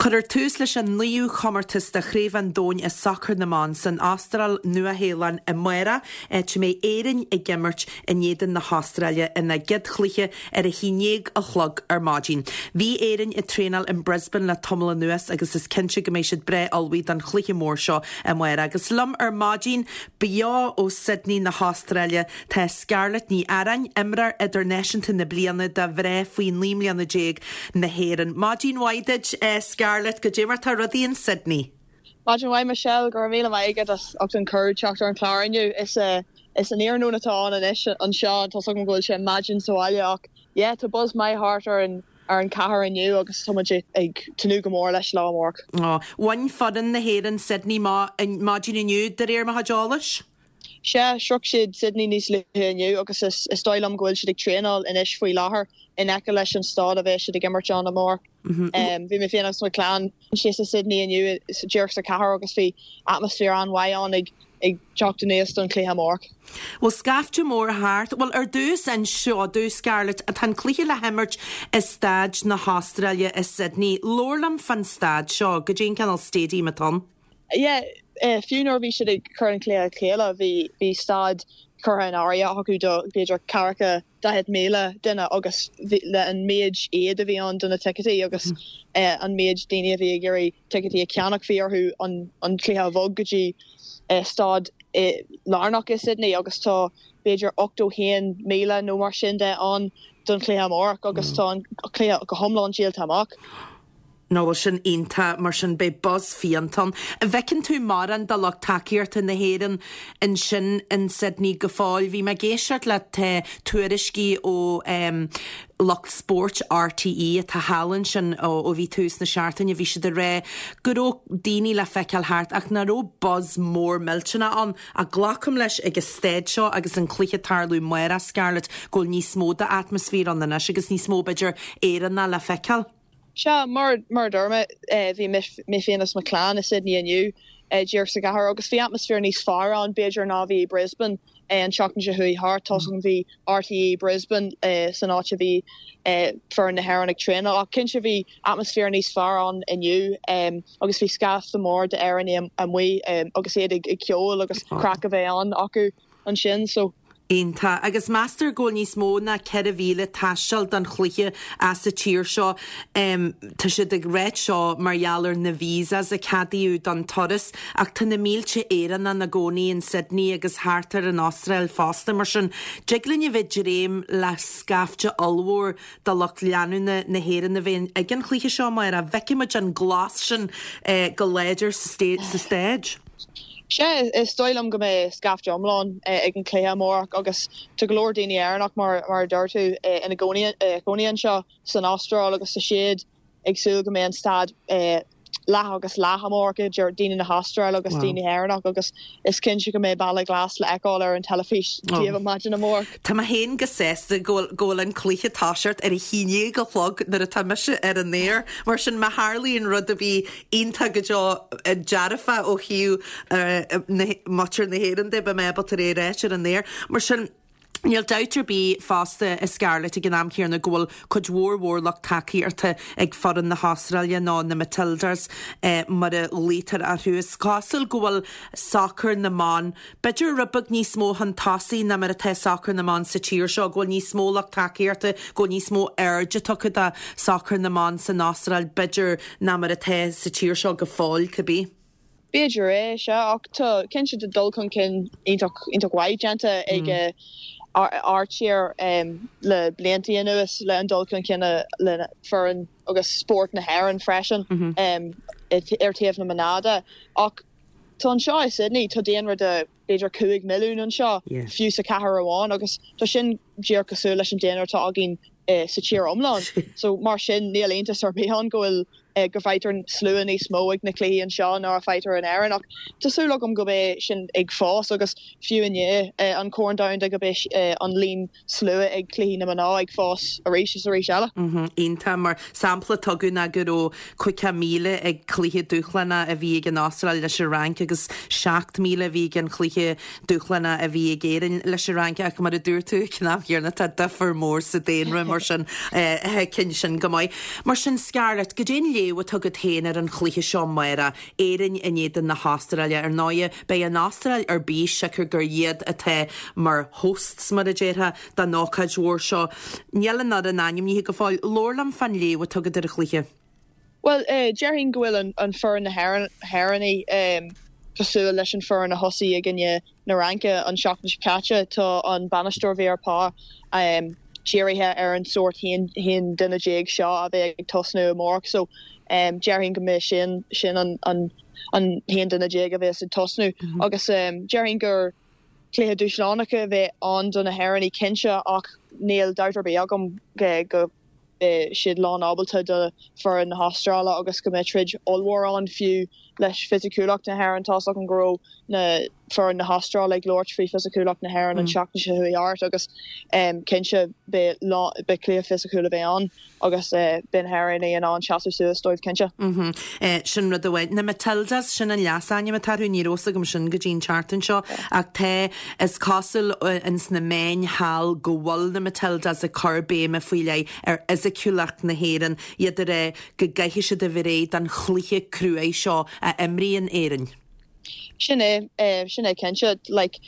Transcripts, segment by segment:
Cuirfear tús leis an naoú chomórtas de Chraobh an Domhain i sacar na mban san Astráil, Nua-Shéalainn amárach, áit a mbeidh Éirinn ag imirt in éadan na hAstráile ina gcéad chluiche ar a haon dhéag a chlog ar maidin. Bhí Éirinn ag traenáil in Brisbane le tamall anuas agus is cinnte go mbeidh siad breá ullmhaithe don chluiche mór seo amárach. Agus liom ar maidin, beo ó Sydney na hAstráile, Tá Scarlett Ní Earáin, imreoir idirnáisiúnta na bliana do mhná faoi 19 mbliana na hÉireann. Maidin mhaith duit, Scarlett, goidé mar tá rudaí in Sydney? Maidin mhaith Michelle, go raibh míle maith agat as ucht an cuireadh teacht ar an chlár inniu. Is is an iarnóin atá ann anois anseo, tá's agam go bhfuil sé maidin sa bhaile ach yeah tá buzz maith thart ar an ar an chathair inniu agus tá muid ag tnúth go mór leis lá amárach. Bhain foireann na hÉireann Sydney maidin inniu de réir mo chuid eolais. Sea, shroich siad Sydney níos luaithe inniu agus is dóigh liom go bhfuil siad ag traenáil anois faoi láthair in aice leis an staid a bheidh siad ag imirt ann amárach. Bhí mé féin agus mo chlann síos i Sydney inniu díreach sa chathair agus bhí atmaisféar an-mhaith ann ag teacht aníos don chluiche amárach. Bhfuil scaifte mór thart? Bhuel, ar dtús, inis domh, Scarlett, tá an cluiche le himirt i staid na hAstráile i Sydney. Labhair liom fán staid seo, goidé an cineál stadium atá ann? Yeah, fiú nuair a bhí siad ag cur an cluiche le chéile, bhí bhí staid curtha in áirithe acu do b'fhéidir ceathracha 40,000 duine agus bhí le an méid éad a bhí ann do na ticéidí agus an méid daoine a bhí ag iarraidh ticéidí a cheannach bhí orthu an an cluiche a bhog go dtí staid lárnach i Sydney agus tá b'fhéidir 81,000 nó mar sin de ann don chluiche amárach agus tá an cluiche go hiomlán díolta amach. Nó bhuel sin iontach, mar sin beidh buzz fiánta ann. An bhfeiceann tú mórán de lucht tacaíochta na hÉireann ansin in Sydney go fóill? Bhí mé ag éisteacht le tuairiscí ó lucht spóirt RTÉ atá thall ansin ó bhí tús na seachtaine, bhí siad ag rá go raibh daoine le feiceáil thart ach nach raibh buzz mór millteanach ann. Ach glacaim leis ag an staid seo agus an cluiche ag tarlú amárach, Scarlett, go bhfuil níos mó d'atmaisféar ann anois agus níos mó b'fhéidir Éireannach le feiceáil. Sea, mar mar a dúirt mé, bhí mé féin agus mo chlann i Sydney inniu, díreach sa gcathair, agus bhí atmaisféar níos fearr ann, b'fhéidir, ná a bhí i Brisbane an tseachtain seo chuaigh thart. Tá's agam bhí RTÉ Brisbane san áit a bhí foireann na hÉireann ag traenáil, ach cinnte bhí atmaisféar níos fearr ann inniu agus bhí scaifte mór d'Éireannaigh amuigh agus iad ag ceol agus craic a bheith ann acu. ansin so. Iontach. Agus meastar go bhfuil níos mó ná 4,000 ag taisteal don chluiche as an tír seo. Tá siad ag ráit seo mar gheall ar na visas a ceadaíodh don turas ach tá na mílte Éireannach ina gcónaí in Sydney agus thart ar an Astráil fosta. Mar sin, dtig linn a bheith ag dréim le scaifte ollmhór de lucht leanúna na hÉireann a bheith ag an chluiche seo amárach. Feicfidh muid an glas sin go láidir sa staid. Sea, is dóigh liom go mbeidh scaifte iomlán ag an chluiche amárach agus tá go leor daoine Éireannach, mar a dúirt tú, ina gcónaí anseo san Astráil agus tá siad ag súil go mbeidh an staid leath agus leath amárach idir daoine na hAstráile agus daoine Éireannach agus is cinnte go mbeidh Balla Glas le feiceáil ar an teilifís daoibh maidin amárach. Tá mé féin go sásta go bhfuil go bhfuil an cluiche ag toiseacht ar a haon dhéag a chlog nuair atá mise ar an aer. Mar sin má tharlaíonn rud ar bith iontach go deo dearfach ó thaobh muintir na hÉireann de, beidh mé ábalta é a ráit ar an aer. Mar sin, níl dabht ar bith fosta, a Scarlett, ag an am chéanna go bhfuil cuid mhór mhór lucht tacaíochta ag foireann na hAstráile nó na Matildas mar a ghlaotar orthu. Is cosúil go bhfuil sacar na mban b'fhéidir rud beag níos mó chun tosaigh ná mar atá sacar na mban sa tír seo, go bhfuil níos mó lucht tacaíochta, go bhfuil níos mó airde tugtha do sacar na mban san Astráil b'fhéidir ná mar atá sa tír seo go fóill, cibé. B'fhéidir é, sea, ach tá, cinnte tá dul chun cinn iontach, iontach mhaith déanta ag ár tír le bliantaí anuas le an dul chun cinn le foireann agus spórt na hÉireann freisin ar taobh na mná de. Ach tá anseo i Sydney, tá daonra de b'fhéidir 5 milliún anseo, fiú sa chathair amháin, agus tá sin díreach cosúil leis an daonra atá againn sa tír iomlán. So mar sin níl iontas ar bith ann go bhfuil go bhfaightear slua níos mó ag na cluichí anseo ná a faightear in Éirinn ach tá súil agam go mbeidh sin ag fás agus fiú i ndiaidh an Corn Domhanda go mbeidh an líon slua ag cluichí na mná ag fás arís is arís eile. Iontach. Mar sampla tugadh ná go raibh 50,000 ag cluiche dúshlánach a bhí ag an Astráil leis an Fhrainc agus 7,000 a bhí ag an chluiche dúshlánach a bhí ag Éirinn leis an Fhrainc ach mar a dúirt tú ag an am chéanna tá difear mór sa daonra mar sin thuigfinn sin go maith. Mar sin Scarlett, goidé an léargas. léamh atá agat féin ar an chluiche seo amárach, Éirinn in éadan na hAstráile? Ar ndóighe, beidh an Astráil ar bís siocair gur iad atá mar hosts, mar a déarfá, don ócáid mhór seo. Níl an fhoireann ainmnithe go fóill. Labhair liom fán léamh atá agat ar an chluiche. Bhuel, déarfainn go bhfuil an foireann na hÉireannaí cosúil leis an foireann a thosaigh i gcoinne na Fhraince an seachtain seo caite. Tá an bainisteoir Vera Pauw dírithe ar an sórt 11 duine seo a bheidh ag tosnú amárach so déarfainn go mbeidh sin sin an 11 duine a bheas ag tosnú agus déarfainn gur cluiche dúshlánach a bheidh ann do na hÉireannaigh cinnte ach níl dabht ar bith agam go beidh siad lán ábalta do foireann na hAstráile agus go mbeidh troid ollmhór ann fiú leis fisiciúlacht na hÉireann. Tá's agam go raibh na foireann na hAstráile ag labhairt faoi fisiciúlacht na hÉireann an tseachtain seo chuaigh thart agus cinnte beidh beidh cluiche fisiciúil a bheidh ann agus beidh na hÉireannaigh in ann seasamh suas dóibh cinnte. Sin rud amháin. Na Matildas, sin an leasainm atá orthu, ní raibh fhios agam sin go dtí an tseachtain seo ach tá, Is cosúil ins na meáin thall go bhfuil na Matildas ag cur béime faoi leith ar fhisiciúlacht na hÉireann, iad ag rá go gcaithfidh siad a bheith réidh don chluiche cruaidh seo a imríonn Éirinn. Sin é, sin é cinnte. Like,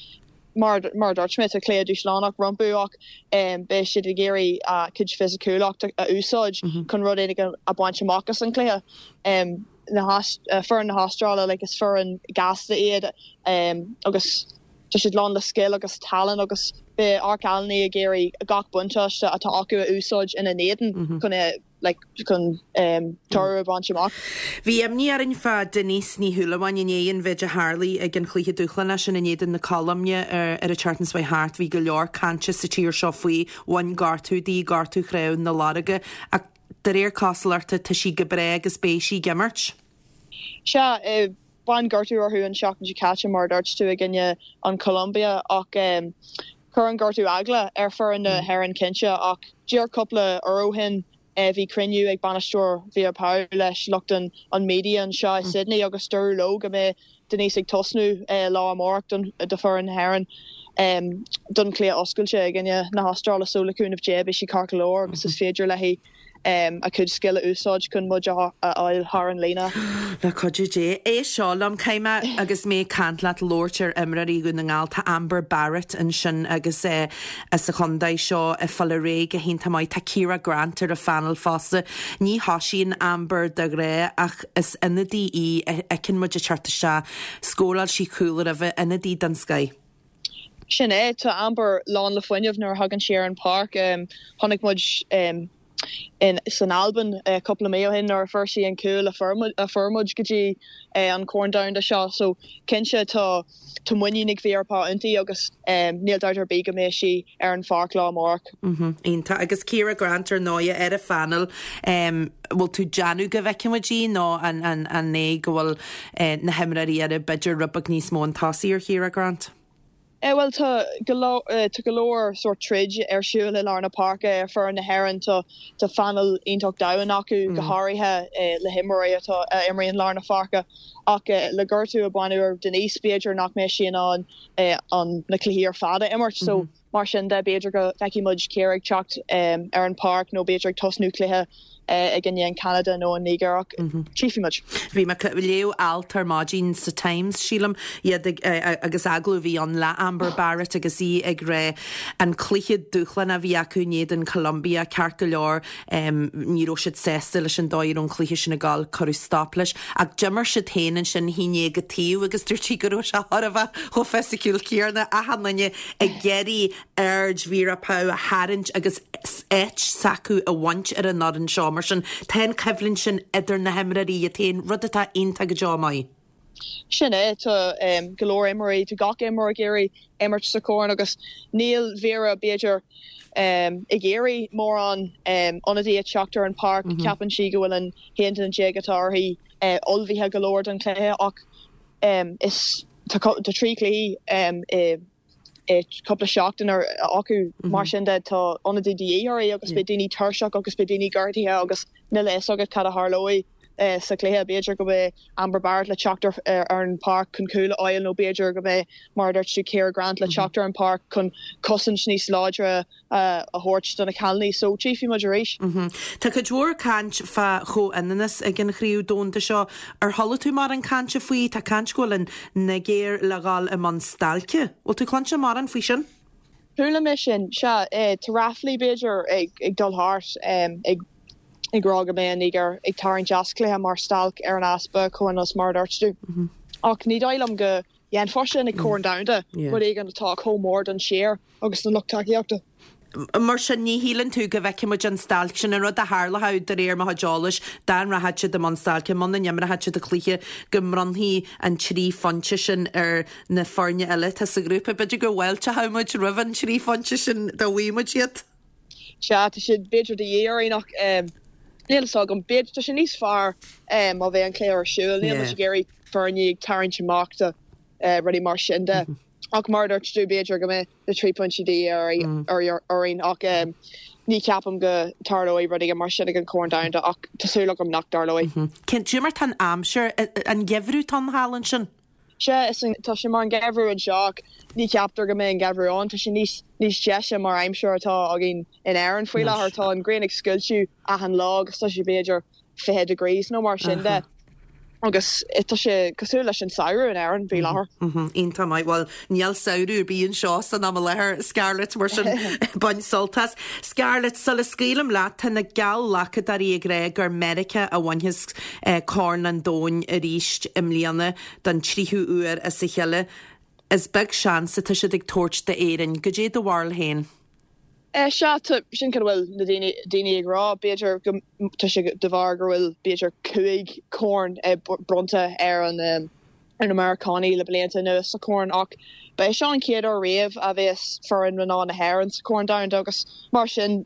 mar, mar a dúirt mé, tá cluiche dúshlánach rompu ach beidh siad ag iarraidh a gcuid fisiciúlacht a úsáid chun rud éigin a bhaint amach as an chluiche. na foireann na hAstráile like is foireann gasta iad agus tá siad lán le scil agus tallann agus beidh ár gcailíní ag iarraidh gach buntáiste atá acu a úsáid ina n-éadan chun like chun toradh a bhaint amach. Bhí imní orainn fá Denise Ní Shúilleabháin i ndiaidh an mhéid a tharlaigh ag an chluiche dúshlánach sin in éadan na Colóime ar an tseachtain seo chuaigh thart. Bhí go leor cainte sa tír seo faoi, bhain gortú di, gortú chnámh na lorga ach De réir cosúlachta, tá sí go breá agus beidh sí ag imirt. Sea, bhain gortú uirthi an tseachtain seo caite, mar a dúirt tú, i gcoinne an Colombia ach chuir an gortú eagla ar foireann na hÉireann cinnte ach díreach cúpla uair ó shin bhí cruinniú ag bainisteoir Vera Pauw leis lucht an media anseo i Sydney agus dúradh leo go mbeidh Denise ag tosnú lá amárach do foireann na hÉireann don chluiche oscailte i gcoinne na hAstráile so le cúnamh Dé beidh sí ceart go leor agus is féidir léi a cuid scil a úsáid chun muid a fháil thar an líne. Le cuidiú Dé. Éist seo liom, caithfidh mé agus mé ag caint leat labhairt ar imreoirí Dhún na nGall. Tá Amber Barrett ansin agus as an chontae seo ag fáil ar aghaidh go hiontach maith. Tá Ciara Grant ar an phainéal fosta. Ní thosaíonn Amber de ghnáth ach Is ionadaí í a fheiceann muid ag teacht isteach. Scóráil sí cúl roimhe, ionadaí den scoith. Sin é, tá Amber lán le fuinneamh nuair a thagann sí ar an pháirc. Chonaic muid san Albain cúpla mí ó shin nuair a fuair sí an cúl a fuair muid go dtí an Corn Domhanda seo. So cinnte tá tá muinín ag Vera Pauw inti agus níl dabht ar bith go mbeidh sí ar an pháirc lá amárach. Iontach. Agus Ciara Grant ar ndóighe ar an phainéal. Bhfuil tú déanamh go bhfeicfidh muid í nó an é go bhfuil na himreoirí eile b'fhéidir rud beag níos mó chun tosaigh ar Chiara Grant? Bhuel tá go leor tá go leor sórt troid ar siúl i lár na páirce ar foireann na hÉireann. Tá tá phainéal iontach domhain acu go háirithe le himreoirí atá a imríonn lár na pháirce ach le gortú a baineadh ar Denise b'fhéidir nach mbeidh sí in ann an na cluichí ar fad a imirt so mar sin de b'fhéidir go bhfeicfidh muid Ciara ag teacht ar an pháirc nó b'fhéidir ag tosnú cluiche i gcoinne an Cheanada nó an Nigéir ach tchífidh muid. Bhí mé ag léamh alt ar maidin sa Times, sílim, iad ag, agus agallamh a bhí ann le Amber Barrett agus í ag rá an cluiche dúshlánach a bhí acu in éadan Colombia, ceart go leor, ní raibh siad sásta leis an dóigh a raibh an cluiche sin ag dul, cuireadh stop leis. Ach d'imir siad féin ansin haon déag an taobh agus dúirt sí go raibh sé chóir a bheith chomh fisiciúil céanna, achan duine ag iarraidh aird Vera Pauw a tharraingt agus áit s'acu a bhaint ar an fhoireann seo. Mar sin, tá an choimhlint sin idir na himreoirí iad féin, rud atá iontach go deo maith. Sin é, tá go leor imreoirí, tá gach imreoir ag iarraidh imirt sa chorn agus níl Vera, b'fhéidir, ag iarraidh mórán ionadaí ag teacht ar an pháirc. Ceapann sí go bhfuil an 11 duine atá uirthi ullmhaithe go leor don chluiche ach is tá 3 chluiche i cúpla seachtain acu. Mar sin de, tá ionadaí de dhíth uirthi agus beidh daoine tuirseach agus beidh daoine gortaithe agus níl a fhios agat cad a tharlóidh. sa chluiche. B'fhéidir go mbeidh Amber Barrett le teacht ar an pháirc chun cúl a fháil nó b'fhéidir go mbeidh, mar a dúirt tú, Ciara Grant le teacht ar an pháirc chun cosaint níos láidre a thabhairt do na cailíní. So, tchífidh muid arís. Tá cuid mhór caint fá chomhionannas ag an Chraobh Domhanda seo. Ar chuala tú mórán cainte faoi? Tá caint go bhfuil an Nigéir le dhul i mbun stailce. Bhfuil tú cluinte mórán faoi sin? Chuala mé sin, sea. Tá ráflaí, b'fhéidir, ag dul thart ag ag rá go mbeidh an Nigéir ag tarraingt as cluiche mar stailc ar an easpa comhionannas mar a dúirt tú. Ach ní dóigh liom go dhéanfá sin ag Corn Domhanda, rud éigin atá chomh mór don tír agus don lucht tacaíochta. Mar sin, ní shíleann tú go bhfeicfidh muid an stailc sin, an rud a tharlódh de réir mo chuid eolais, dá rachadh siad i mbun stailce, muna n-imreochadh siad an cluiche, go mbronnfaí an trí phointe sin ar na foirne eile atá sa ghrúpa. B'fhéidir go bhfáilteochadh muid roimh an trí phointe sin dá bhfaigheadh muid iad. Sea, tá siad b'fhéidir de dhíth orainn ach níl a fhios agam. B'fhéidir, tá sé níos fearr má bheidh an cluiche ar siúl. Níl muid ag iarraidh foirne ag tarraingt amach do rudaí mar sin de. Ach mar a dúirt tú, b'fhéidir go mbeidh na trí phointe de dhíth orainn ach ní cheapaim go dtarlóidh rud éigin mar sin ag an Chorn Domhanda ach tá súil agam nach dtarlóidh. Cén, cad é mar tá an aimsir, an geimhreadh atá ann thall ansin? Sea, is tá sé mar an geimhreadh anseo ach ní cheaptar go mbeidh an geimhreadh ann. Tá sé níos níos deise mar aimsir atá againn in Éirinn faoi láthair. Tá an ghrian ag scoilteadh achan lá agus tá sé b'fhéidir 20 degrees nó mar sin de agus tá sé cosúil leis an samhradh in Éirinn faoi láthair. Iontach maith. Bhuel, níl samhradh ar bith anseo san am i láthair, Scarlett, mar sin bain sult as. Scarlett, sula scaoilim leat, tá na geallghlacadóirí ag rá gur Meiriceá a bhainfeas Corn an Domhain arís i mbliana don tríú huair as a chéile. Is beag seans atá siad ag tabhairt d'Éirinn. Goidé do bharúil féin? Sea, tá, sin cad a bhfuil na daoine, daoine ag rá. B'fhéidir go, tá sé de bharr go bhfuil b'fhéidir 5 chorn bronnta ar an, ar na Meiriceánaigh le blianta anuas sa chorn ach ba é seo an chéad uair riamh a bheas foireann mná na hÉireann sa Chorn Domhanda agus mar sin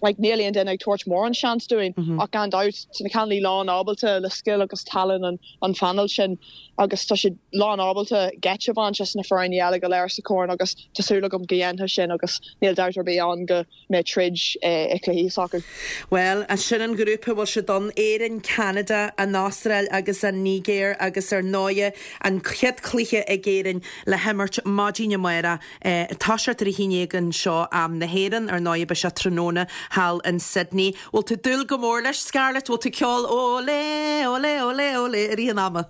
like níl aon duine ag tabhairt mórán seans dúinn ach gan dabht tá na cailíní lán ábalta le scil agus tallann an an phainéil sin agus tá siad lán ábalta geit a bhaint as na foirne eile go léir sa chorn agus tá súil agam go dhéanfaidh sin agus níl dabht ar bith ann go mbeidh troid i cluichí s'acu. Bhuel, sin an grúpa a bhfuil siad ann, Éirinn, Ceanada, an Astráil agus an Nigéir agus ar ndóighe an chéad chluiche ag Éirinn le himirt maidin amárach, toiseacht ar a haon déag anseo am na hÉireann, ar ndóighe beidh sé tráthnóna thall in Sydney. Bhfuil tú ag dúil go mór leis, Scarlett? Bhfuil tú ag ceol Olé, olé, olé, olé i rith an ama?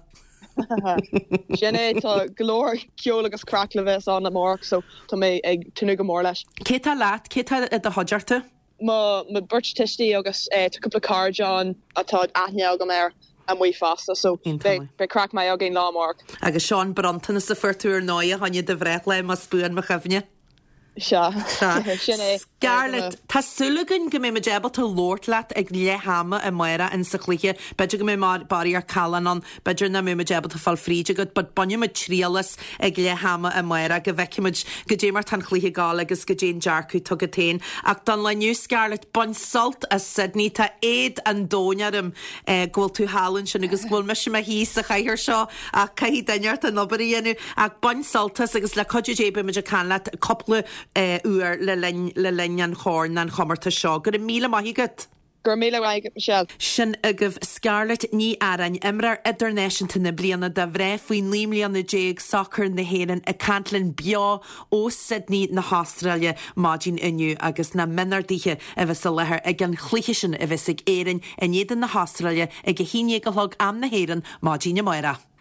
Sin é, tá go leor ceol agus craic le bheith ann amárach so tá mé ag tnúth go mór leis. Cé tá leat? Cé tá i do chuideachta? Mo bheirt tuistí agus tá cúpla cairde ann atá aithne agam air amuigh fosta so beidh craic maith againn lá amárach. Agus seo an bronntanas a fuair tú ar ndóighe fá choinne do bhreithlá más buan mo chuimhne. Sea, sin é. Scarlett, tá súil againn go mbeidh muid ábalta labhairt leat ag leath ama amárach in sa chluiche. B'fhéidir go mbeidh barraíocht callán ann, b'fhéidir nach mbeidh muid ábalta fáil fríd agat, but bainfidh muid triail as ag leath ama amárach go bhfeicfidh muid goidé mar tá an chluiche ag gabháil agus goidé an dearcadh atá agat féin. Ach don lá inniu, Scarlett, bain sult as Sydney. Tá éad an domhain orm go bhfuil tú thall ansin agus go bhfuil mise i mo shuí sa chathaoir seo ach caithfidh duine ort an obair a dhéanamh. Ach bain sult as agus le cuidiú Dé beidh muid ag caint leat cúpla uair le linn le linn an chorn an chomórtais seo. Go raibh míle maith agat. Go raibh míle maith agat Michelle. Sin agaibh Scarlett Ní Earáin, imreoir idirnáisiúnta na bliana do mhná faoi 19 mbliana sacair na hÉireann ag caint linn beo ó Sydney na hAstráile maidin inniu agus na mionarduithe a bheas i láthair ag an chluiche sin a bheas ag Éirinn in éadan na hAstráile ag a haon dhéag a chlog am na hÉireann maidin amárach.